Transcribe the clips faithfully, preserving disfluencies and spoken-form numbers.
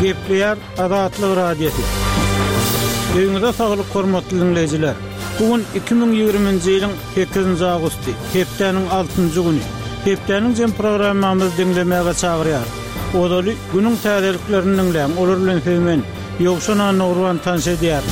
Gepleýär Azatlyk Radiosy. Öýüňize saglyk hormatly dinleýjiler. Bu gün iki müň ýigriminji ýylyň sekizinji awgusty, hepdäniň altynjy güni. Hepdäniň jem programmamyzy diňlemäge çagyrýar. Ozaly günüň täzeliklerini diňläň, olar bilen sizi men, Ýowşan Annagurban tanyş edýär.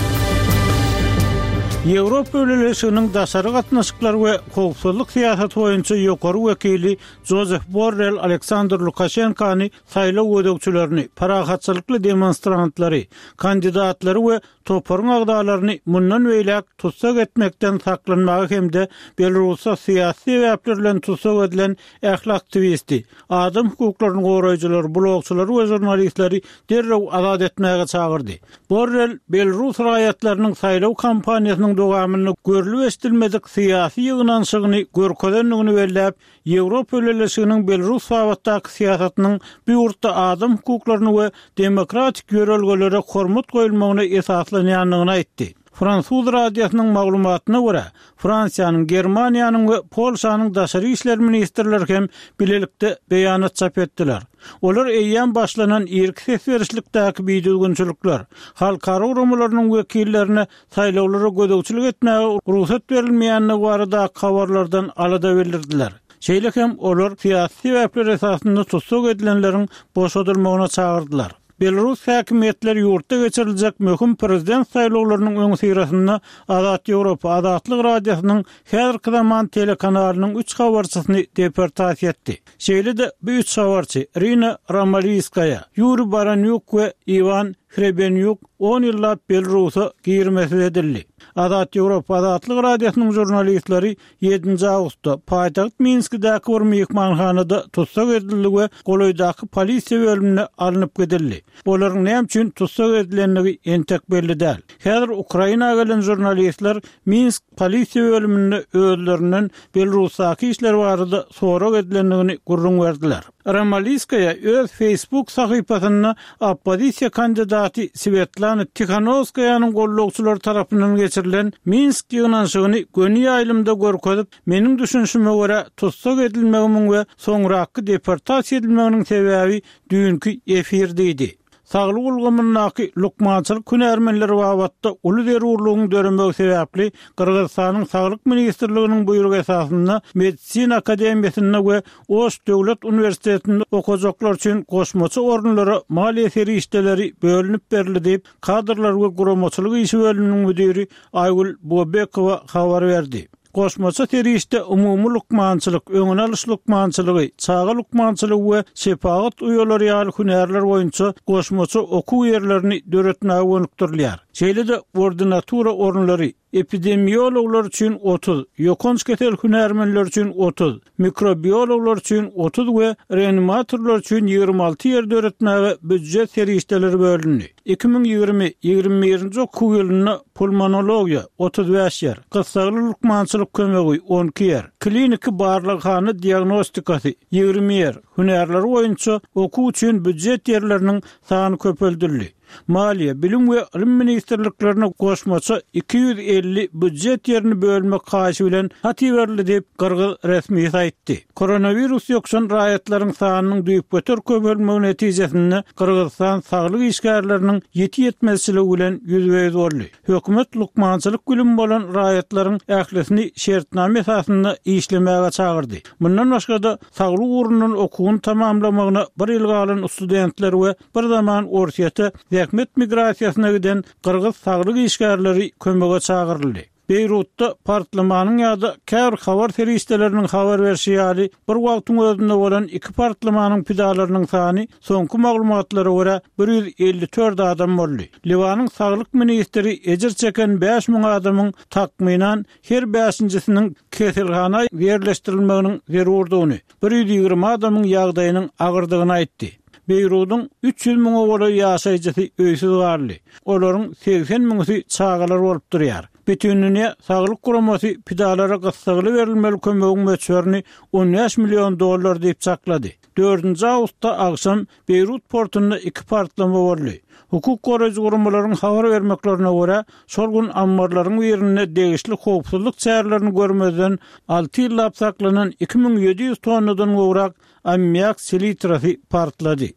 Ýewropa Bileleşiginiň daşary gatnaşyklar we howpsuzlyk syýasaty boýunça ýokary wekili Jozef Borrell Aleksandr Lukaşenkany saýlaw gözegçilerini, parahatçylykly demonstrantlary, kandidatlary we toparyň agzalaryny mundan beýläk tussag etmekden saklanmaga hem-de Belarusda syýasy sebäpler bilen tussag edilen ähli aktiwisti, adam hukuklaryny goraýjylary, blogçylary we žurnalistleri derrew azat etmäge çagyrdy. Borrell belarus raýatlarynyň saýlaw kampaniýasynyň dowamynda görlüp-eşidilmedik syýasy ýygnanyşygyny görkezendigini belläp, Ýewropa Bileleşiginiň Belarus babatdaky syýasatynyň bu ýurtda adam hukuklaryny we demokratik ýörelgelere hormat goýulmagyna esaslanýandygyny aýtdy. Fransuz radiosynyň maglumatyna görä, Fransiýanyň, Germaniýanyň we Polşanyň daşary işler ministrleri hem bilelikde beýanat çap etdiler. Olar eýýäm başlanan irki ses berişlikdäki bidüzgünçilikler, halkara guramalarynyň wekillerine saýlawlara gözegçilik etmäge rugsat berilmeýändigi baradaky habarlardan alada bildirdiler. Şeýle hem olar syýasy sebäpler esasynda tussag edilenleriň boşadylmagyna çagyrdylar. Belarus häkimiýetleri ýurtda geçiriljek möhüm prezident saýlawlarynyň öňüsyrasynda Azat Ýewropa Azatlyk Radiosynyň häzirki zaman telekanalynyň üç habarçysyny deportasiýa etdi. Şeýle-de bu üç habarçy Irina Romalýskaýa, Ýuriý Baranýuk we Iwan Hrebenýuk on ýyllap Belarusa girmesiz edildi. Azat Ýewropa Azatlyk Radiosynyň žurnalistleri ýedinji awgustda paýtagt Minskidäki bir myhmanhanada tussag edildi we golaýdaky polisiýa bölümine alnyp gidildi. Olaryň näme üçin tussag edilendigi entek belli däl. Häzir Ukraina gelen žurnalistler Minsk polisiýa bölüminde özlerinden Belarusdaky işler barada sorag edilendigini gürrüň berdiler. Romalýskaýa öz Facebook sahypasynda oppozisiýa kandidaty Swetlana Tihanowskaýanyň gollagçylary tarapyndan geçirilen Minsk ýygnanyşygyny göni ýaýlymda görkezip, meniň düşünişime görä tussag edilmegimiň we soňraky deportasiýa edilmeginiň sebäbi düýnki efir diýdi. Saglyk ulgamyndaky lukmançylyk hünärmenleri babatda uly zerurlygyň döremegi sebäpli Gyrgyzystanyň Saglyk ministrliginiň buýrugy esasynda Medisina akademiýasynda we Oş döwlet uniwersitetinde okajaklar üçin goşmaça orunlara maliýe serişdeleri bölünip berildi diýip, kadrlar we guramaçylyk işi bölüminiň müdiri Aýgül Bobekowa habar berdi. Goşmaça serişde umumy lukmançylyk, öňüni alyş lukmançylygy, çaga lukmançylygy we şepagat uýalary ýaly hünärler boýunça goşmaça okuw ýerlerini döretmäge gönükdirilýär. Şeýle-de ordinatura orunlary epidemiologlar üçin otuz, ýokanç kesel hünärmenleri üçin otuz, mikrobiologlar üçin otuz we reanimatorlar üçin ýigrimi alty ýer döretmäge býujet serişdeleri bölündi. Iki müň ýigrimi, ýigrimi birinji okuw ýylynda pulmonologiýa, otuz bäş ýer, gyssagly lukmançylyk kömegi, on iki ýer, kliniki barlaghana diagnostikasy, ýigrimi ýer, hünärleri boýunça okuw üçin býujet ýerleriniň sany köpeldildi. Maliýe, Bilim we ylym ministrliklerine goşmaça iki ýüz elli býujet ýerini bölmek haýyşy bilen hat iberildi diýip, gyrgyz resmisi aýtdy. Koronawirus ýokuşan raýatlaryň sanynyň düýpgöter köpelmegi netijesinde Gyrgyzystan saglyk işgärleriniň ýiti ýetmezçiligi bilen ýüzbe-ýüz boldy. Hökümet lukmançylyk bilimi bolan raýatlaryň ählisini şertnama esasynda işlemäge çagyrdy. Mundan başga-da, saglyk ugrundan okuwyny tamamlamagyna bir ýyl galan studentler we bir zaman Orsýete zähmet migrasiýasyna giden gyrgyz saglyk işgärleri kömege çagyryldy. Beýrutda partlamanyň ýa-da käbir habar serişdeleriniň habar berşi ýaly, bir wagtyň özünde bolan iki partlamanyň pidalarynyň sany soňky maglumatlara görä bir ýüz elli dört adam boldy. Liwanyň saglyk ministri ejir çeken bäş müň adamyň takmynan her bäşinjisiniň keselhana ýerleşdirilmeginiň zerurdygyny, bir ýüz ýigrimi adamyň ýagdaýynyň agyrdygyny aýtdy. Beýrudyň üç ýüz müňe golaý ýaşaýjysy öýsüz galdy. Olaryň segsen müňüsi çagalar bolup durýar. Bütindünýä Saglyk Guramasy pidalara gyssagly berilmeli kömegiň möçberini on bäş million dollar diýip çaklady. Dördünji awgustda agşam Beýrut portunda iki partlama boldy. Hukuk goraýjy guramalaryň habar bermeklerine görä, şol gün ammarlaryň birinde degişli howpsuzlyk çärelerini görmezden alty ýyllap saklanan iki müň ýedi ýüz tonnadan gowrak ammiak selitrasy partlady.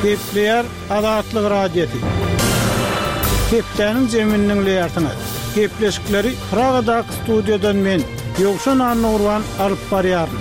Gepleýär Azatlyk Radiosy. Hepdäniň jemini diňleýärsiňiz. Gepleşikleri Pragadaky studiýadan men, Ýowşan Annagurban alyp barýaryn.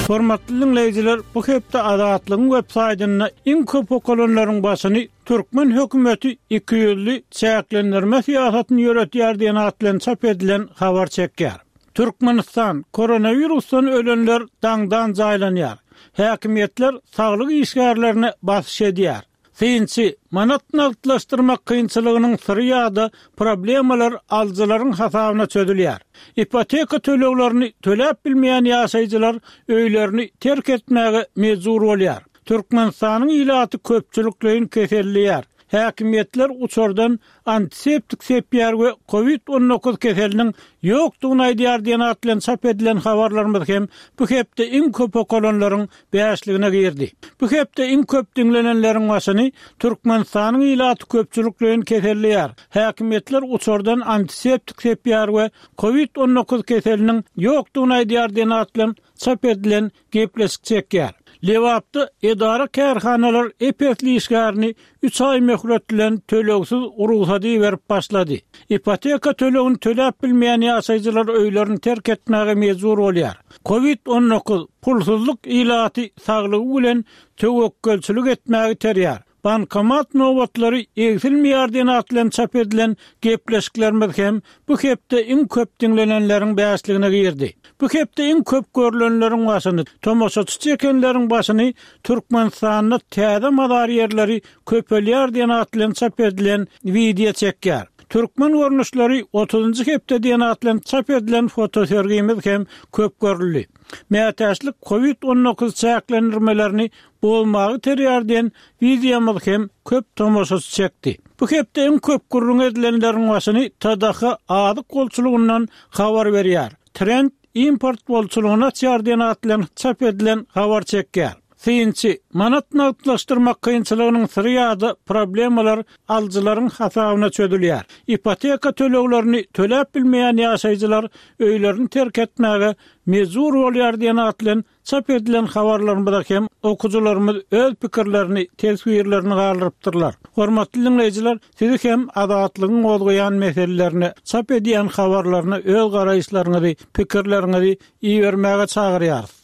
Hormatly diňleýjiler, bu hepde Azatlygyň web saýtynda iň köp okalanlaryň başyny Türkmen hökümeti iki ýüzli çäklendirme syýasatyny ýöretýär diýen at bilen çap edilen habar çekýär. Türkmenistan koronawirusdan ölenler daňdan jaýlanýar. Häkimiýetler saglyk işgärlerine basyş edýär. Synçy, manat nagtlaşdyrmak kynçylygynyň syry ýa-da problemalar alyjylaryň hasabyna çözülýär. Ipoteka töleglerini töläp bilmeýän ýaşaýjylar öýlerini terk etmäge mejbur bolýar. Türkmenistanyň ilaty köpçülikleýin keselleýär. Häkimiýetler uçardan antiseptik sepýär we covid on dokuz keseliniň ýokdugyny aýdýar diýen at bilen çap edilen habarlarymyz hem bu hepde iň köp okalanlaryň bäşligine girdi. Bu hepde iň köp diňlenenleriň başyny Türkmenistanyň ilaty köpçülikleýin keselleýär. Häkimiýetler uçardan antiseptik sepýär we covid on dokuz keseliniň ýokdugyny aýdýar diýen at bilen çap edilen gepleşik çekýär. Lebapda edara kärhanalar epesli işgärini üç aý möhlet bilen tölegsiz rugsady berip başlady. Ipoteka tölegini töläp bilmeýän ýaşaýjylar öýlerini terk etmäge mejbur bolýar. Covid on dokuz pulsuzlyk ilaty saglygy bilen töwekgelçilik etmäge terýär. Bankomat nobatlary egsilmeýär diýen at bilen çap edilen gepleşiklerimiz hem bu hepde iň köp diňlenenleriň bäşligine girdi. Bu hepde iň köp görülenleriň başyny, tomaşaçy çekenleriň başyny Türkmenistanda täze mazar ýerleri köpelýär diýen at bilen çap edilen wideo çekýär. Türkmen görnüşleri otuzynjy hepde diýen at bilen çap edilen fotosergimiz hem köp görüldi. Mätäçlik covid on dokuz çäklendirmelerini bozmagy terýär diýen wideomyz hem köp tomaşaçy çekdi. Bu hepde iň köp gürrüň edilenleriň başyny T D H azyk bolçulygyndan habar berýär. Trend import bolçulygyny açýar diýen at bilen çap edilen habar çekýär. Synçy, manat nagtlaşdyrmak kynçylygynyň syry ýa-da problemalar alyjylaryň hasabyna çözülýär. Ipoteka töleglerini töläp bilmeýän ýaşaýjylar öýlerini terk etmäge mejbur bolýar diýen at bilen çap edilen habarlarymyza hem okyjylarymyz öz pikirlerini, teswirlerini galdyrypdyrlar. Hormatly diňleýjiler, sizi hem Azatlygyň gozgaýan meselelerine, çap edýän habarlaryna öz garaýyşlaryňyzy, pikirleriňizi ibermäge çagyrýarys.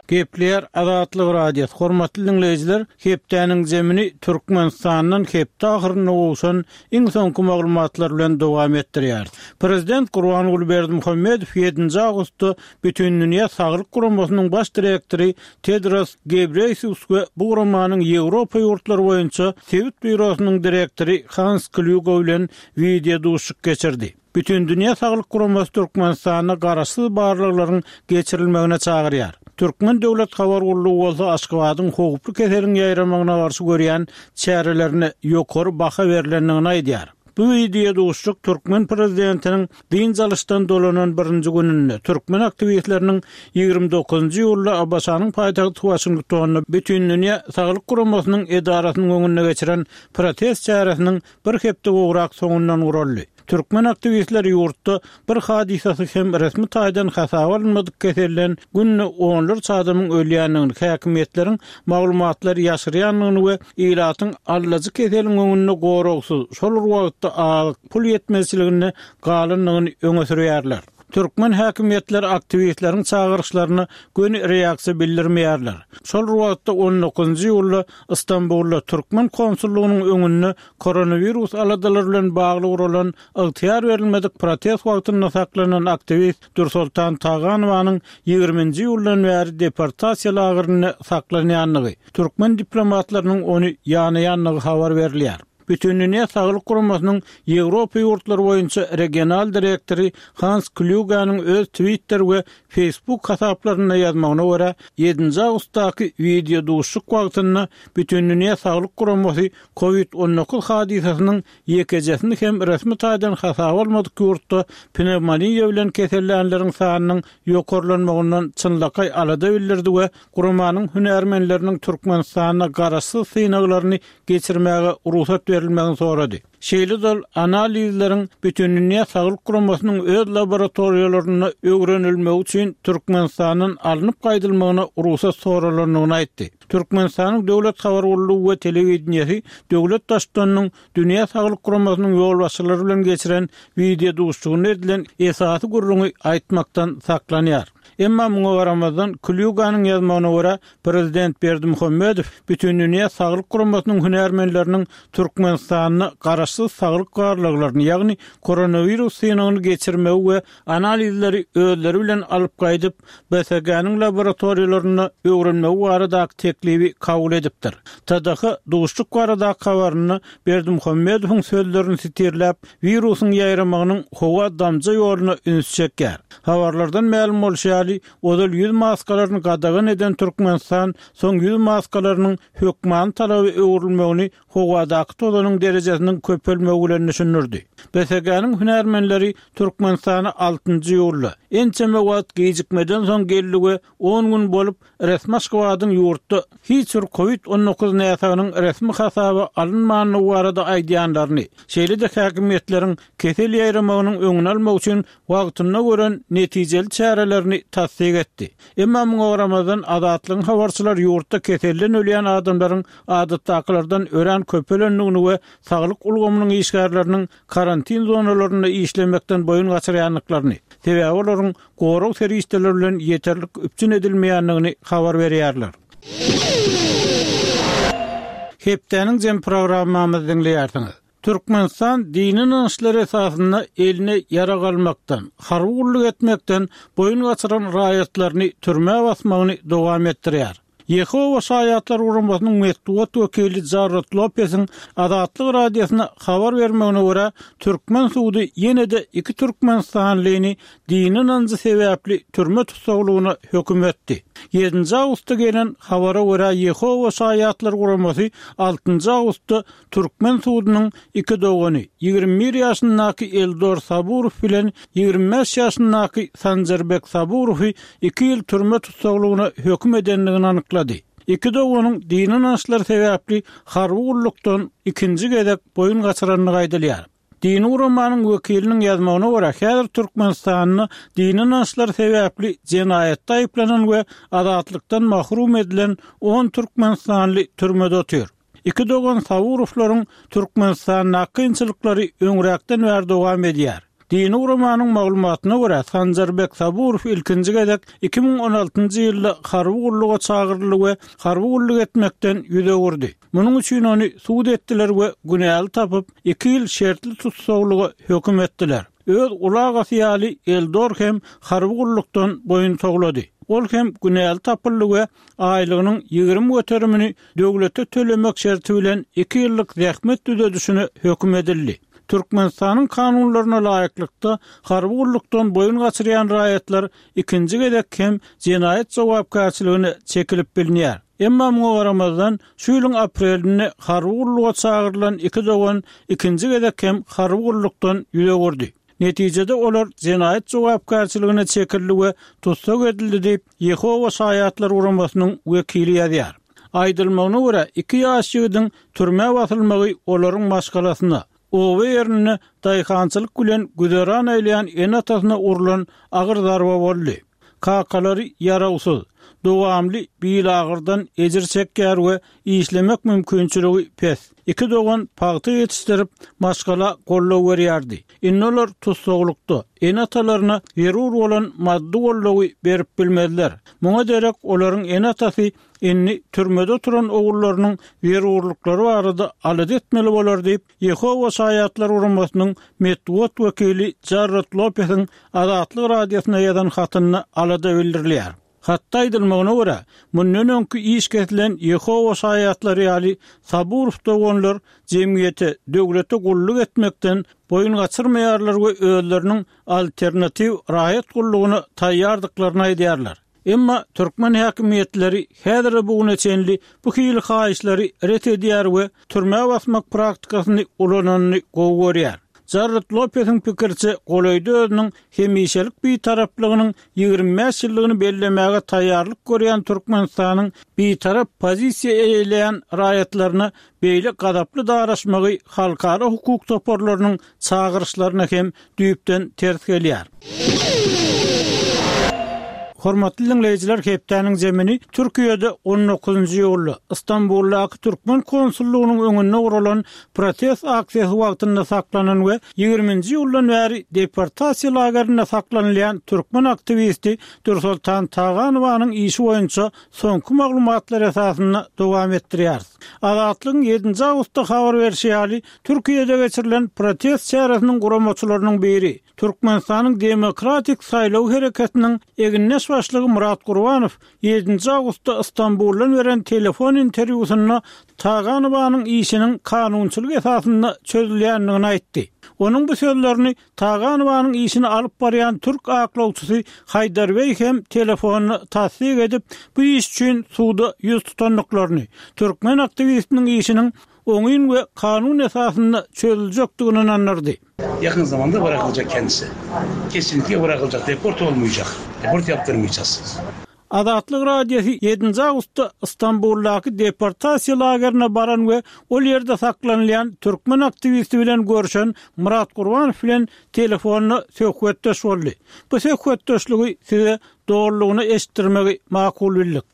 Gepleýär Azatlyk Radiosy. Hormatly diňleýjiler, hepdäniň zemini Türkmenistandan hepde ahyrynda gowşan iň soňky maglumatlar bilen dowam etdirýär. Prezident Gurbanguly Berdimuhamedow ýedinji awgustda Bütindünýä Saglyk Guramasynyň baş direktory Tedros Ghebreyesus we bu guramanyň Ýewropa ýurtlary boýunça sebit býurosynyň direktory Hans Kluge bilen wideo duşuşyk geçirdi. Bütindünýä Saglyk Guramasy Türkmenistanda garaşsyz barlaglaryň geçirilmegine çagyrýar. Türkmen Döwlet Habar Gullugy bolsa Aşgabadyň howply keseliň ýaýramagyna garşy görýän çärelerine ýokary baha berlendigini aýdýar. Bu wideo duşuşyk Türkmen prezidentiniň dynç alyşdan dolanan birinji gününde türkmen aktiwistleriniň ýigrimi dokuzynjy iýulda A B Ş-nyň paýtagty Waşingtonda Bütindünýä Saglyk Guramasynyň edarasynyň öňünde geçiren protest çäresiniň bir hepde gowrak soňundan guraldy. Türkmen aktiwistleri ýurtda bir hadysasy hem resmi taýdan hasaba alynmadyk keselden günde onlarça adamyň ölýändigini, häkimiýetleriň maglumatlary ýaşyrýandygyny we ilatyň allajy keseliň öňünde goragsyz, şol bir wagtda azyk pul ýetmezçiliginde galandygyny öňe sürýärler. Türkmen häkimiýetleri aktiwistleriň çagyryşlaryna göni reaksiýa bildirmeýärler. Şol bir wagtda on dokuzynjy iýulda Istanbulda Türkmen konsullygynyň öňünde koronawirus aladalary bilen bagly guralan ygtyýar berilmedik protest wagtynda saklanan aktiwist Dürsoltan Taganowanyň ýigriminji iýuldan bäri deportasiýa lagerinde saklanýandygy, türkmen diplomatlarynyň ony ýanaýandygy habar berilýär. Bütindünýä Saglyk Guramasynyň Ýewropa ýurtlary boýunça regional direktory Hans Kluganyň öz Twitter we Facebook hasaplarynda ýazmagyna görä, ýedinji awgustdaky wideo duşuşyk wagtynda Bütindünýä Saglyk Guramasy covid on dokuz hadysasynyň ýekejesini hem resmi taýdan hasaba almadyk ýurtda pnevmoniýa bilen kesellänleriň sanynyň ýokarlanmagyndan çynlakaý alada bildirdi we guramanyň hünärmenleriniň Türkmenistanda garaşsyz synaglaryny geçirmäge rugsat berilmegini sorady. Şeýle-de ol analizleriň Bütindünýä Saglyk Guramasynyň öz laboratoriýalarynda öwrenilmegi üçin Türkmenistandan alnyp gaýdylmagyna rugsat soralandygyny aýtdy. Türkmenistanyň Döwlet habar gullugy we telewideniýesi döwlet Baştutanynyň Dünýä Saglyk Guramasynyň ýolbaşçylary bilen geçiren wideo duşuşygynda edilen esasy gürrüňi aýtmakdan saklanýar. Emma muňa garamazdan, Klýuganyň ýazmagyna görä, prezident Berdimuhamedow Bütindünýä Saglyk Guramasynyň hünärmenleriniň Türkmenistanda garaşsyz saglyk barlaglaryny, ýagny koronawirus synagyny geçirmegi we analizleri özleri bilen alyp gaýdyp, B S G-niň laboratoriýalarynda öwrenmegi baradaky teklibi kabul edipdir. T D H duşuşyk baradaky habarynda Berdimuhamedowyň sözlerini sitirläp, wirusyň ýaýramagynyň howa damja ýoluna üns çekýär. Habarlardan mälim bolşy ýaly, ozal ýüz maskalaryny gadagan eden Türkmenistan soň ýüz maskalarynyň hökmany talaby öwrülmegini howadaky tozanyň derejesiniň köpelmegi bilen düşündirdi. B S G-niň hünärmenleri Türkmenistana altynjy iýulda ençeme wagt gijikmeden soň geldi we on gün bolup resmi Aşgabadyň ýurtda hiç bir COVID on dokuz näsagynyň resmi hasaba alynmandygy barada aýdýanlaryny, şeýle-de häkimiýetleriň kesel ýaýramagynyň öňüni almak üçin wagtynda gören netijeli çärelerini tassyk etdi. Emma muňa garamazdan, Azatlygyň habarçylary ýurtda keselden ölýän adamlaryň adatdakylardan örän köpelendigini we saglyk ulgamynyň işgärleriniň karantin zonalarynda işlemekden boýun gaçyrýandyklaryny, sebäbi olaryň gorag serişdeleri bilen ýeterlik üpjün edilmeýändigini habar berýärler. Hepdäniň jemi programmamyzy diňleýärsiňiz. Türkmenistan dini ynançlar esasynda eline ýarag almakdan, harby gulluk etmekden boýun gaçyran raýatlaryny türmä basmagyny dowam etdirýär. Ýehowa Şaýatlar guramasynyň metbugat wekili Jarrod Lopesiň Azatlyk Radiosyna habar bermegine görä, türkmen sudy ýene-de iki türkmenistanlyny dini ynanjy sebäpli türme tussaglygyna höküm etdi. Ýedinji awgustda gelen habara görä, Ýehowa Şaýatlar guramasy altynjy awgustda türkmen sudunyň iki dogany, ýigrimi bir ýaşyndaky Eldor Saburow bilen ýigrimi bäş ýaşyndaky Sanjarbek Saburowy iki ýyl türme tussaglygyna höküm edendigini anyklady. Iki doganyň dini ynançlar sebäpli harby gullukdan ikinji gezek boýun gaçyrandygy aýdylýar. Dini guramanyň wekiliniň ýazmagyna görä, häzir Türkmenistanda dini ynançlar sebäpli jenaýatda aýyplanan we azatlykdan mahrum edilen on türkmenistanly türmede otyr. Iki dogan Saburowlaryň Türkmenistandaky kynçylyklary öňräkden bäri dowam edýär. Dini guramanyň maglumatyna görä, Sanjarbek Saburow ilkinji gezek iki müň on altynjy ýylda harby gulluga çagyryldy we harby gulluk etmekden ýüz öwürdi. Munuň üçin ony sud etdiler we günäli tapyp, iki ýyl şertli tussaglyga höküm etdiler. Öz uly agasy ýaly Eldor hem harby gullukdan boýun towlady. Ol hem günäli tapyldy we aýlygynyň ýigrimi göterimini döwlete tölemek şerti bilen iki ýyllyk zähmet düzedişine höküm edildi. Türkmenistanyň kanunlaryna laýyklykda harby gullukdan boýun gaçyrýan raýatlar ikinji gezek hem jenaýat jogapkärçiligine çekilip bilinýär. Emma muňa garamazdan, şu ýylyň aprelinde harby gulluga çagyrylan iki dogan ikinji gezek hem harby gullukdan ýüz öwürdi. Netijede olar jenaýat jogapkärçiligine çekildi we tussag edildi diýip, Ýehowa Şaýatlar guramasynyň wekili ýazýar. Aýdylmagyna görä, iki ýaş ýigidiň türmä basylmagy olaryň maşgalasyna, oba ýerinde daýhançylyk bilen güzeran eýleýän ene-atasyna urlan agyr zarba boldy. Kakalary ýarawsyz, dowamly bilagyrdan ejir çekýär we işlemek mümkinçiligi pes. Iki dogan pagta ýetişdirip, maşgala goldaw berýärdi. Indi olar tussaglykda, ene-atalaryna zerur bolan maddy goldawy berip bilmezler. Muňa derek olaryň ene-atasy indi türmede oturan ogullarynyň zerurlyklary barada alada etmeli bolar diýip, Ýehowa Şaýatlar guramasynyň metbugat wekili Jarrod Lopesiň Azatlyk Radiosyna ýazan hatynda alada bildirilýär. Hatda aýdylmagyna görä, mundan öňki iş kesilen Ýehowa Şaýatlary ýaly Saburow doganlar jemgyýete, döwlete gulluk etmekden boýun gaçyrmaýarlar we özleriniň alternatiw raýat gullugyna taýýardyklaryny aýdýarlar. Emma türkmen häkimiýetleri häzir bu güne çenli bu hili haýyşlary ret edýär we türmä basmak praktikasyny ulananyny gowy görýär. Jarrod Lopesiň pikiriçe, golaýda özüniň hemişelik bitaraplygynyň ýigrimi bäş ýyllygyny bellemäge taýýarlyk görýän Türkmenistanyň bitarap pozisiýa eýeleýän raýatlaryna beýle gazaply daraşmagy halkara hukuk toparlarynyň çagyryşlaryna hem düýpden ters gelýär. Hormatly diňleýjiler, hepdäniň zemini Türkiýede on dokuzynjy iýulda Istanbuldaky türkmen konsullygynyň öňünde guralan protest aksiýasy wagtynda saklanan we ýigriminji iýuldan bäri deportasiýa lagerinde saklanylýan türkmen aktiwisti Dürsoltan Taganowanyň işi boýunça soňky maglumatlar esasynda dowam etdirýäris. Azatlygyň ýedinji awgustda habar berşi ýaly, Türkiýede geçirilen protest çäresiniň guramaçylarynyň biri, Türkmenistanyň Demokratik saýlaw hereketiniň egindeş başlygy Myrat Gurbanow ýedinji awgustda Istanbuldan beren telefon interwýusynda Taganowanyň işiniň kanunçylyk esasynda çözülýändigini aýtdy. Onuň bu sözlerini Taganowanyň işini alyp barýan türk aklawçysy Haýdar Beý hem telefonda tassyk edip, bu iş üçin suda ýüz tutandyklaryny, türkmen aktiwistiniň işiniň oňyn we kanun esasynda çözüljekdigini ynandyrdy. Yakın zamanda bırakılacak kendisi. Kesinlikle bırakılacak. Deport olmayacak. Deport yaptırmayacağız. Azatlyk Radiosy ýedinji awgustda Istanbuldaky deportasiýa lagerine baran we ol ýerde saklanylýan türkmen aktiwisti bilen görşen Myrat Gurbanow bilen telefonda söhbetdeş boldy. Bu söhbetdeşligi size dolulygyna eşitdirmegi makul bildik.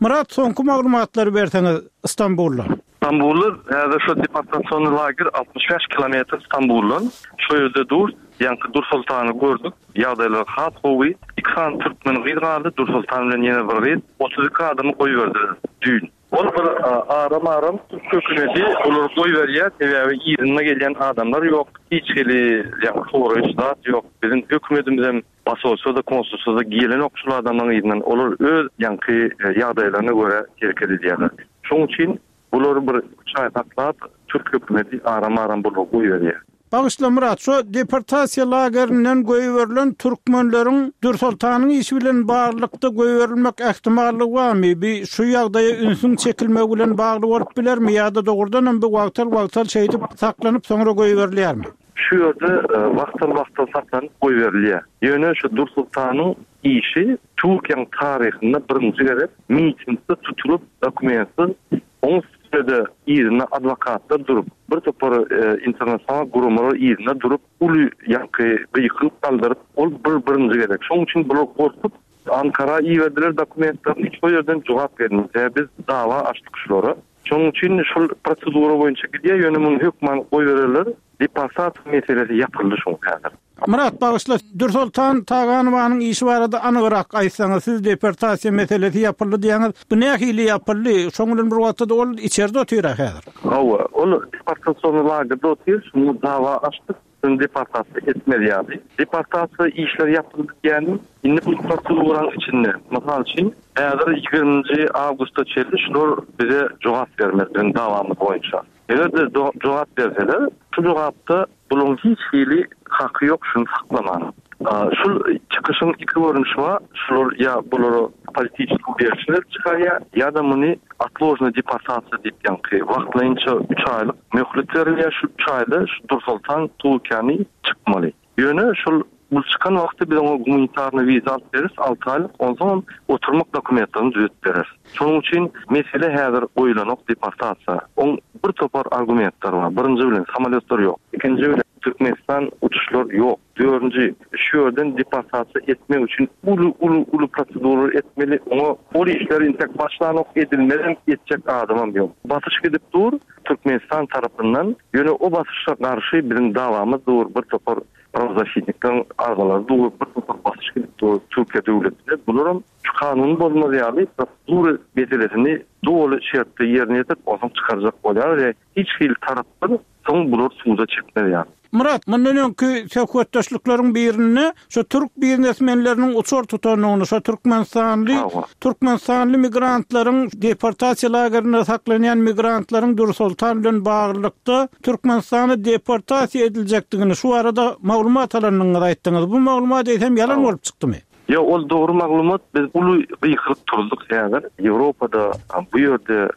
Myrat, soňky maglumatlary berseňiz Istanbulda. Istanbulda häzir şu deportasion lager altmyş bäş kilometr Istanbuldan. Şu ýerde dur, ýaňky Dursoltany gördük. Ýagdaýlar has gowy. Iki sany türkmen gyz galdy, Dursoltan bilen ýene bir gyz. Otuz iki adamy goýberdiler düýn. Ol bir aram-aram türk hökümeti olary goýberýär, sebäbi yzynda gelýän adamlar ýok, hiç hili ýaňky soraýyş zat ýok. Biziň hökümetimizem posolstwo-da, konsulstwo-da gelenok şul adamlaryň yzyndan. Olar öz ýaňky ýagdaýlaryna görä hereket edýärler. Şonuň üçin bulary bir üç aý saklap, türk hökümeti aram-aram bulary goýberýär. Bagyşla Myrat, şu deportasiýa lagerinden goýberilen türkmenleriň Dürsoltanyň işi bilen baglylykda goýberilmek ähtimallygy barmy? Bi şu ýagdaýa ünsüň çekilmegi bilen bagly bolup bilermi ýa-da dogrudan hem bu wagtal-wagtal şeýdip saklanyp soňra goýberilýärmi? Şu ýerde, e, wagtal-wagtal saklanyp goýberilýär. Ýöne şu Dürsoltanyň işi Türkiýäniň taryhynda birinji gezek mitingde tutulyp, dokumentsiz, oň üstünde yzyna adwokatlar durup, bir topar, e, internasional guramalar yzyna durup, uly ýaňky gykylyk galdyryp, ol bir birinji gezek. Şonuň üçin bular gorkup Ankara iberdiler dokumentlerini, şo ýerden jogap gelmedi. Sebäbi biz dawa açdyk şulara. Şonuň üçin şol prosedura boýunça gidýär, ýöne muny hökman goýbererler. Deportasiýa meselesi ýapyldy şoň häzir. Myrat, bagyşla, Dürsoltan Taganowanyň işi barada anygrak aýtsaňyz, siz deportasiýa meselesi ýapyldy diýýäňiz. Bu nähili ýapyldy? Şoň bilen bir wagtda ol içerde otyr häzir. Hawa, ol deportasion lagerde otyr, şuny dawa açdyk, şuny deportasiýa etmez ýaly. Deportasiýa işleri ýapyldy diýýänim, indi bu proseduranyň içinde, mysal üçin, häzir ýigriminji awgustda çenli şular bize jogap bermez biziň dawamyz boýunça. Eger-de do-, jogap berseler, şu jogapda buluň hiç hili haky ýok şuny saklaman. Aa, şul çykyşyň iki görnüşi bar. Şular ýa bulara politiçki berşler çykarýar, ýa-da muny otložna deportasiýa diýip ýaňky wagtlaýynça üç aýlyk möhlet berilýär. Şu üç aýda şu Dursoltan Türkiýäni çykmaly. Ýöne şul bu çykan wagty biz oňa gumanitarny wiza alyp beris, alty aýlyk, onsoň oturmak dokumentlerini düzetip berer. Şonuň üçin mesele häzir goýulanok deportasiýa. Oň bir topar argumentler bar. Birinji bilen samolýotlar ýok. Ikinji bilen Türkmenistan uçuşlar ýok. Dördünji, şu ýerden deportasiýa etmek üçin uly, uly, uly proseduralar etmeli. Oňa ol işler intek başlanok, edilmezem, etjek adamam ýok. Basyş gidip dur Türkmenistan tarapyndan. Ýöne o basyşa garşy biziň dawamyz dur, bir topar prawozasitnikleriň arzalary dur, bir topar basyş gidip dur Türkiýe döwletine. Bularam şu kanuny bozmaz ýaly prosedura meselesini doly şertde ýerine ýetirip, onsoň çykarjak bolýar we hiç hili tarapdan soň bular suda çekmez ýaly. Myrat, mundan öňki söhbetdeşlikleriň birinde şu türk biznesmenleriniň uçar tutandygyny, şu Türkmenistanly, Hawa. Türkmenistanly migrantlaryň deportasiýa lagerinde saklanýan migrantlaryň Dürsoltan bilen baglylykda Türkmenistana deportasiýa ediljekdigini şu arada maglumat alandygyňyzy aýtdyňyz. Bu maglumat eýsem ýalan Hawa. bolup çykdymy? Ýok, ol dogry maglumat. Biz uly gykylyk turzduk häzir. Ýewropada bu ýerde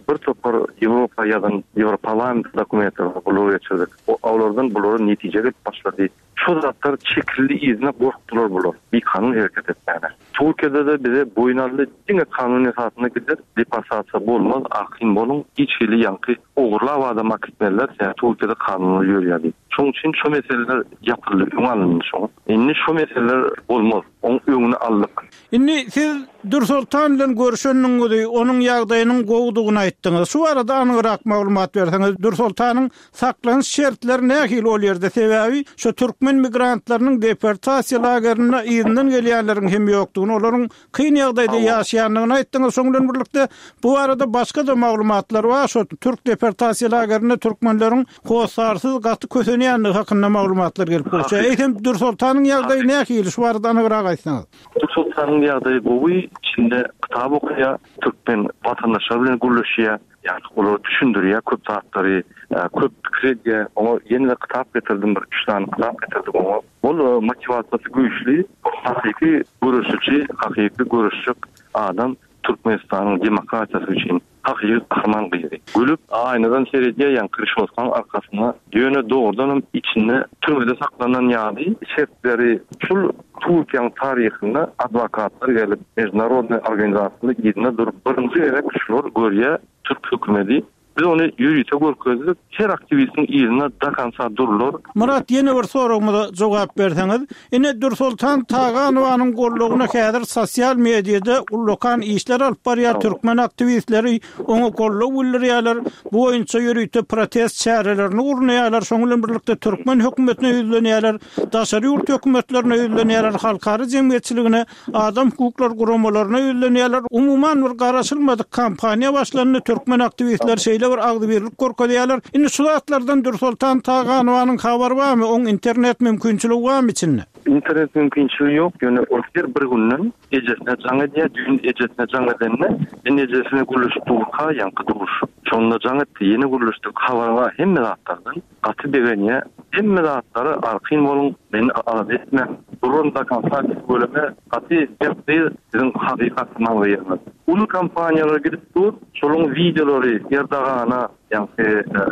bir topar Ýewropa ýazan Ýewroparlament dokumentlerini gulak geçirdik. Olardan bulara netije gelip başlady. Şu zatlar çekildi yzyna, gorkdular bular bikanun hereket etmäne. Türkiýede-de bize boýun aldy, diňe kanun esasynda gider, deportasiýa bolmaz, arkaýyn boluň, hiç hili ýaňky ogurlap adam akitmezler, sebäbi Türkiýede kanunlar ýörýär diýip. Şonuň üçin şu meseleler ýapyldy, öňi alyndy şoň. Indi şu meseleler bolmaz, oň öňüni aldyk. Indi siz Dürsoltan bilen görüşendiňizi, onuň ýagdaýynyň gowudygyny aýtdyňyz. Şu barada anygrak maglumat berseňiz, Dürsoltanyň saklanyş şertleri nähili ol ýerde? Sebäbi şu türkmen migrantlarynyň deportasiýa lagerinde yzyndan gelýänleriň hem ýokdugyny, olaryň kyn ýagdaýda ýaşaýandygyny aýtdyňyz. Şonuň bilen birlikde bu barada başga-da maglumatlar bar. Şu türk deportasiýa lagerinde türkmenleriň hossarsyz gaty kösenýändigi hakynda maglumatlar gelip gowuşýar. Eýsem Dürsoltanyň ýagdaýy nähili? Şu barada anygrak aýtsaňyz. Dürsoltanyň ýagdaýy gowy, içinde kitap okaýar, türkmen watandaşlary bilen gürleşýär, ýagny olara düşündirýär köp zatlary, köp pikir edýär. Oňa ýene-de kitap getirdim, bir üç sany kitap getirdik oňa. Ol motiwasiýasy güýçli, hakyky göreşiji, hakyky göreşjek adam Türkmenistanyň demokratiýasy üçin hakyky gahryman gyzy. Gülüp aýnadan seredýär, ýaňky rişotkaň arkasyna. Ýöne dogrudanam içinde türmede saklanan ýaly şertleri şul Türkiýäniň taryhynda adwokatlar gelip, mejdunarodnyý organizasiýalar yzyna durup birinji gezek şular görýär türk hökümeti. Biz ony ýörite görkezdik, her aktiwistiň yzyna do konca durlar. Murat, ýene bir soragymyza jogap berseňiz. Ine Dürsoltan Taganowanyň goldawyna häzir sosial mediada ullakan işler alyp barýar türkmen aktiwistleri, oňa goldaw bildirýärler. Bu boýunça ýörite protest çärelerini gurnaýarlar. Şonuň bilen birlikde türkmen hökümetine ýüzlenýärler, daşary ýurt hökümetlerine ýüzlenýärler, halkara jemgyýetçiligine, adam hukuklary guramalaryna ýüzlenýärler. Umuman bir garaşylmadyk kampaniýa başlandy. Türkmen aktiwistler şeýle bir agzybirlik görkezýärler. Indi şu zatlardan Dürsoltan Taganowanyň habary barmy? Oň internet mümkinçiligi barmy içinde? Internet mümkinçiligi ýok, ýöne ol her bir günden ejesine jaň edýär. Düýn ejesine jaň edende, men ejesine gürleşip durka, ýaňky duşup, şonda jaň etdi, ýene gürleşdik, habary bar hemme zatlardan. Gaty begenýär. Hemme zatlara arkaýyn boluň, meni alada etmäň. Duran do konca bölüme gaty berk gyz, siziň hakyky gahryman gyzyňyz. Uly kompaniýalara gidip dur, şolaryň wideolary Erdogana, ýaňky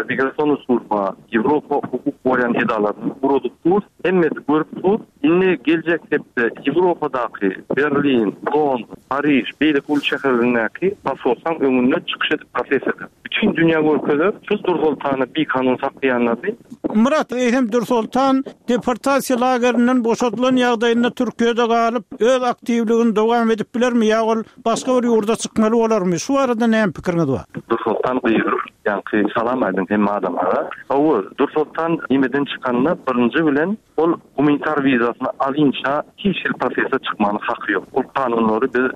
migrasion służba, Ýewropa hukuk goraýan edaralaryna ugradyp dur. Hemmesi görüp dur. Indi geljek hepde Ýewropadaky Berlin, London, Pariž, beýleki uly şäherlerindäki konsolsaň öňünde çykyş edip protest eder. Bütün dünýä görkezer, şu Dürsoltany bikanun saklaýanlary. Murat, eýsem Dürsoltan deportasiýa lagerinden boşadylan ýagdaýynda Türkiýede galyp, öz aktiwligini dowam edip bilermi ýa ol başga bir ýurda çykmaly bolarmy? Şu barada näme pikiriňiz bar? Dürsoltan gyzyr, ýaňky salam aýdyň hemme adamlara. Hawa, Dürsoltan nimeden çykanda birinji bilen ol gumanitar wizasyny alynça hiç hili proteste çykmanyň haky ýok. Ol kanunlary biz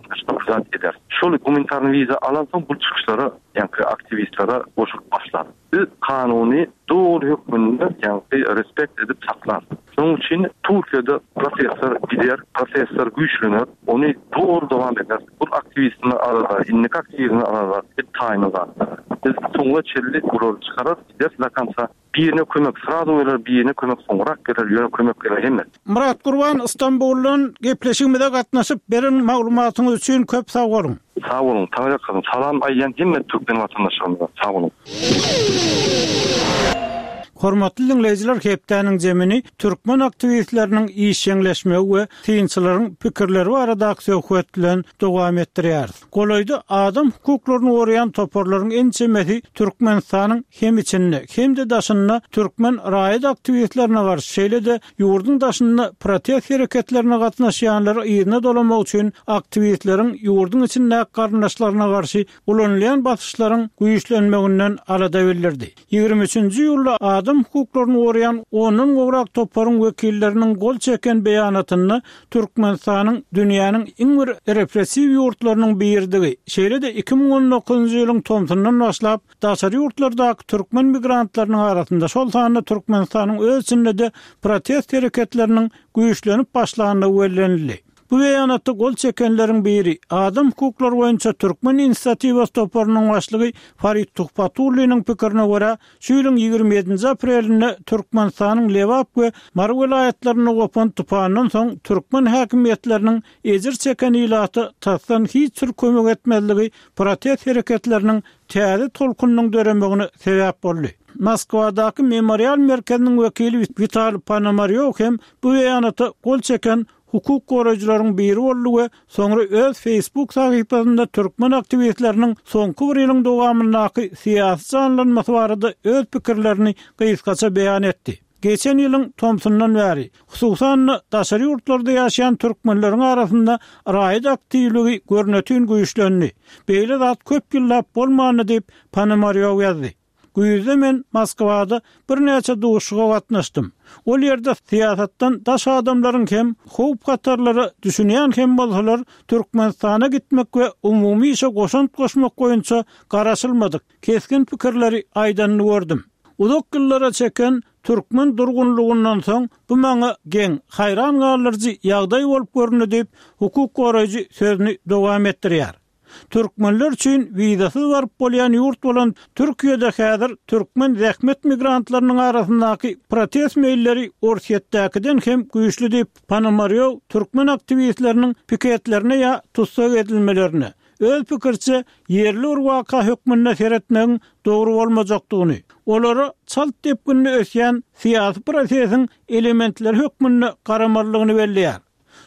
zat eder. Şol gumanitar wiza alansoň bu çykyşlara, ýaňky aktiwistlere goşulyp başlar. Biz kanuny doly hökmünde ýaňky respekt edip saklar. Şonuň üçin Türkiýede protestler gider, protestler güýçlenir, ony dogry dowam eder. Bu aktiwistini aralar, indiki aktiwistini aralar, bir taýyny zatlar. Biz soňuna çenli bulary çykarar, gider do konca. Birine kömek srazu geler, birine kömek soňrak geler, ýöne kömek geler hemme. Murat Gurban Istanbuldan gepleşigimize gatnaşyp beren maglumatyňyz üçin köp sag boluň. Sag boluň, taňryýalkasyn. Salam aýdýan hemme türkmen watandaşlarymyza. Sag boluň. Hormatly dinleýjiler, hepdäniň zemini türkmen aktiwistleriniň işjeňleşmegi we synçylaryň pikirleri baradaky söhbet bilen dowam etdirýäris. Golaýda adam hukuklaryny goraýan toparlaryň ençemesi Türkmenistanyň hem içinde hem-de daşynda türkmen raýat aktiwistlerine garşy, şeýle-de ýurduň daşynda protest hereketlerine gatnaşýanlary yzyna dolamak üçin aktiwistleriň ýurduň içindäki garyndaşlaryna garşy ulanylýan basyşlaryň güýçlenmeginden alada bildirdi. Ýigrimi üçünji iýulda adam hukuklaryny goraýan ondan gowrak toparyň wekilleriniň gol çeken beýanatynda Türkmenistanyň dünýäniň iň bir repressiw ýurtlarynyň biridigi, şeýle-de iki müň on dokuzynjy ýylyň tomsundan başlap daşary ýurtlardaky türkmen migrantlarynyň arasynda, şol sanda Türkmenistanyň öz içinde-de protest hereketleriniň güýçlenip başlandygy bellenildi. Bu beýanata gol çekenleriň biri, adam hukuklary boýunça Türkmen inisiatiwasy toparynyň başlygy Farid Tuhbatulliniň pikirine görä, şu ýylyň ýigrimi ýedinji aprelinde Türkmenistanyň Lebap we Mary welaýatlarynda gopan tupandan soň türkmen häkimiýetleriniň ejir çeken ilata tasdan hiç bir kömek etmezligi protest hereketleriniň täze tolkunynyň döremegine sebäp boldy. Moskwadaky Memorial merkeziniň wekili Witaliý Ponomarýow hem bu beýanata gol çeken hukuk goraýjylaryň biri boldy we soňra öz Facebook sahypasynda türkmen aktiwistleriniň soňky bir ýylyň dowamyndaky syýasy janlanmasy barada öz pikirlerini gysgaça beýan etdi. Geçen ýylyň tomsundan bäri, hususan-da daşary ýurtlarda ýaşaýan türkmenleriň arasynda raýat aktiwligi görnetin güýçlendi. Beýle zat köp ýyllap bolmandy diýip, Ponomarýow ýazdy. Güýzde men Moskwada birnäçe duşuşyga gatnaşdym. Ol ýerde syýasatdan daş adamlaryň hem howp-hatarlara düşünýän hem bolsalar, Türkmenistana gitmek we umumy işe goşant goşmak boýunça garaşylmadyk, kesgin pikirleri aýdanyny gördüm. Uzak ýyllara çeken türkmen durgunlygyndan soň bu maňa geň, haýran galdyryjy ýagdaý bolup göründi diýip, hukuk goraýjy sözüni dowam etdirýär. Türkmenler üçin wizasyz baryp bolýan ýurt bolan Türkiýede häzir türkmen zähmet migrantlarynyň arasyndaky protest meýilleri Orsýetdäkiden hem güýçli diýip, Ponomarýow türkmen aktiwistleriniň piketlerine ýa tussag edilmelerine, öz pikiriçe, ýerli bir waka hökmünde seretmegiň dogry bolmajakdygyny, olara çalt depginde ösýän syýasy prosesiň elementleri hökmünde garamalydygyny belleýär.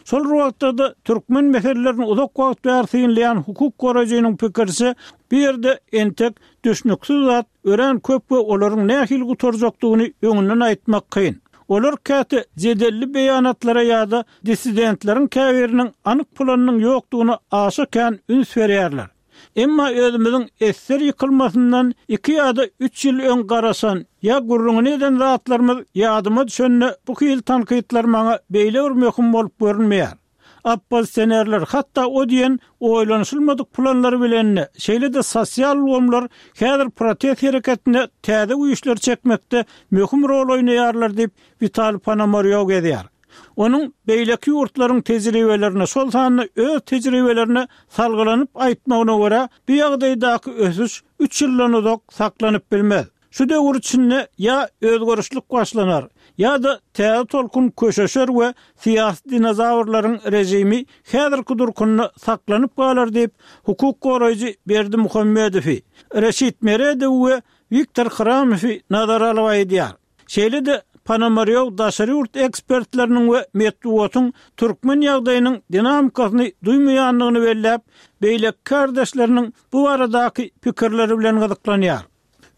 Şol bir wagtda-da türkmen meselelerini uzak wagt bäri synlaýan hukuk goraýjynyň pikiriçe, bu ýerde entek düşnüksiz zat örän köp we olaryň nähili gutarjakdygyny öňünden aýtmak kyn. Olar käte jedelli beýanatlara ýa-da dissidentleriň käbiriniň anyk planynyň ýokdugyna aşa kän üns berýärler. Emma özümiziň esser ýykylmasyndan iki ýa-da üç ýyl öň garaşan ýa gürrüňini eden zatlarymyz ýadyma düşende bu hili tankytlar maňa beýle bir möhüm bolup görünmeýär. Oppozisionerler hatda o diýen oýlanyşylmadyk planlary bilende, şeýle-de sosial ulgamlar häzir protest hereketine täze güýçleri çekmekde möhüm rol oýnaýarlar diýip, Witaliý Ponomarýow gezýär. Onuň beýleki ýurtlaryň tejribelerine, şol sanda öz tejribelerine salgylanyp aýtmagyna görä, bu ýagdaýdaky ösüş üç ýyldan uzak saklanyp bilmez. Şu döwür içinde ýa özgerişlik başlanar, ýa-da täze tolkun köşeşer we syýasy dinozawrlaryň režimi häzirki durkunda saklanyp galar diýip, hukuk goraýjy Berdimuhamedowy, Reşit Meredowy we Wiktor Hramowy nazara alyp aýdýar. Şeýle-de Ponomarýow daşary ýurt ekspertleriniň we metbugatyň türkmen ýagdaýynyň dinamikasyny duýmaýandygyny belläp, beýleki kärdeşleriniň bu baradaky pikirleri bilen gyzyklanýar.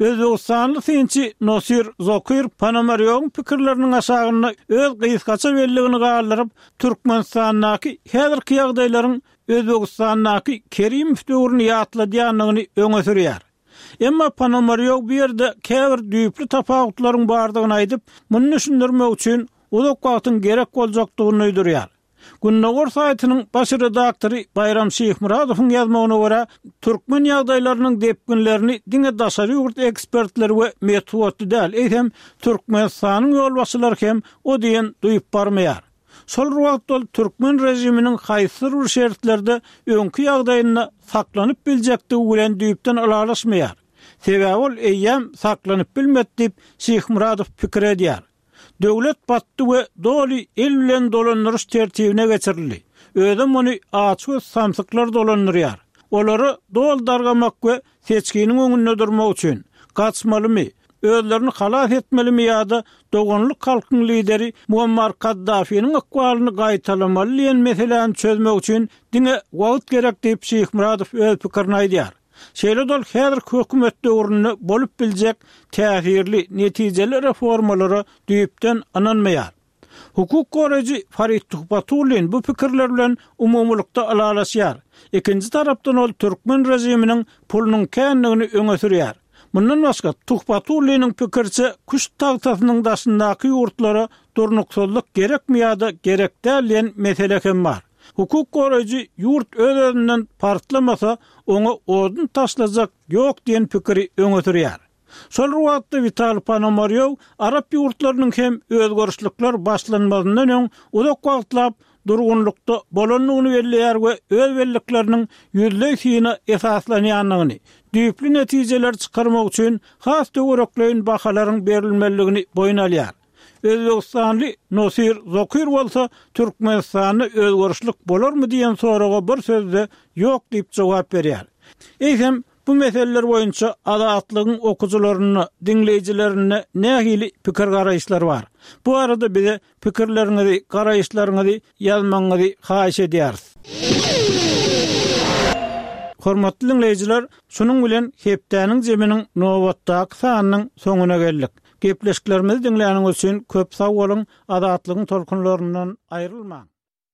Özbegistanly synçy Nosir Zokir Ponomarýowyň pikirleriniň aşagynda öz gysgaça belligini galdyryp, Türkmenistandaky häzirki ýagdaýlaryň Özbegistandaky Kerimow döwrüni ýatladýandygyny öňe sürýär. Emma Ponomarýow bu ýerde käbir düýpli tapawutlaryň bardygyny aýdyp, muny düşündirmek üçin uzak wagtyň gerek boljakdygyny duýdurýar. Gündogar saýtynyň baş redaktory Baýram Şyhmyradowyň ýazmagyna görä, türkmen ýagdaýlarynyň depginlerini diňe daşary ýurt ekspertleri we metbugatly däl, eýsem, Türkmenistanyň ýolbaşçylary hem o diýen duýup barmaýar. Şol bir wagtda ol türkmen režiminiň haýsydyr bir şertlerde öňki ýagdaýynda saklanyp biljekdigi bilen düýpden ylalaşmaýar. Sebäbi ol eýýäm saklanyp bilmedi diýip, Şyhmyradow pikir edýär. Döwlet batdy we doly el bilen dolandyryş tertibine geçirildi. Özem ony açgöz samsyklar dolandyrýar. Olara doly dargamak we seçginiň öňünde durmak üçin, gaçmalymy, özlerini halas etmelimi ýa-da doganlyk halkyň lideri Muammar Kaddafiniň ykbalyny gaýtalamaly diýen meseläni çözmek üçin diňe wagt gerek diýip Şyhmyradow öz pikirini aýdýar. Şeýle-de ol häzirki hökümet döwründe bolup biljek täsirli, netijeli reformalara düýpden ynanmaýar. Hukuk goraýjy Farid Tuhbatullin bu pikirler bilen umumylykda ylalaşýar. Ikinji tarapdan ol türkmen režiminiň pulunyň kändigini öňe sürýär. Mundan başga, Tuhbatulliniň pikiriçe, küşt tagtasynyň daşyndaky ýurtlara durnuksyzlyk gerekmi ýa-da gerek däl diýen mesele hem bar. Hukuk goraýjy ýurt öz-özünden partlamasa, oňa odun taşlajak ýok diýen pikiri öňe sürýär. Şol bir wagtda Witaliý Ponomarýow arap ýurtlarynyň hem özgerişlikler başlanmazyndan öň uzak wagtlap durgunlykda bolandygyny belleýär we öz bellikleriniň ýüzleý syna esaslanýandygyny, düýpli netijeler çykarmak üçin has töwerekleýin bahalaryň berilmelidigini boýun alýar. Özbegistanly Nosir Zokir bolsa Türkmenistanda özgerişlik bolarmy diýen soraga bir sözde ýok diýip jogap berýär. Eýsem, bu meseleler boýunça Azatlygyň okyjylarynda, diňleýjilerinde nähili pikir garaýyşlar bar? Bu arada bize pikirleriňizi, garaýyşlaryňyzy ýazmagyňyzy haýyş edýäris. Hormatly diňleýjiler, şunuň bilen hepdäniň jeminiň nobatdaky sanynyň soňuna geldik. Gepleşiklerimizi diňläniňiz üçin köp sag boluň, Azatlygyň tolkunlaryndan aýrylmaň.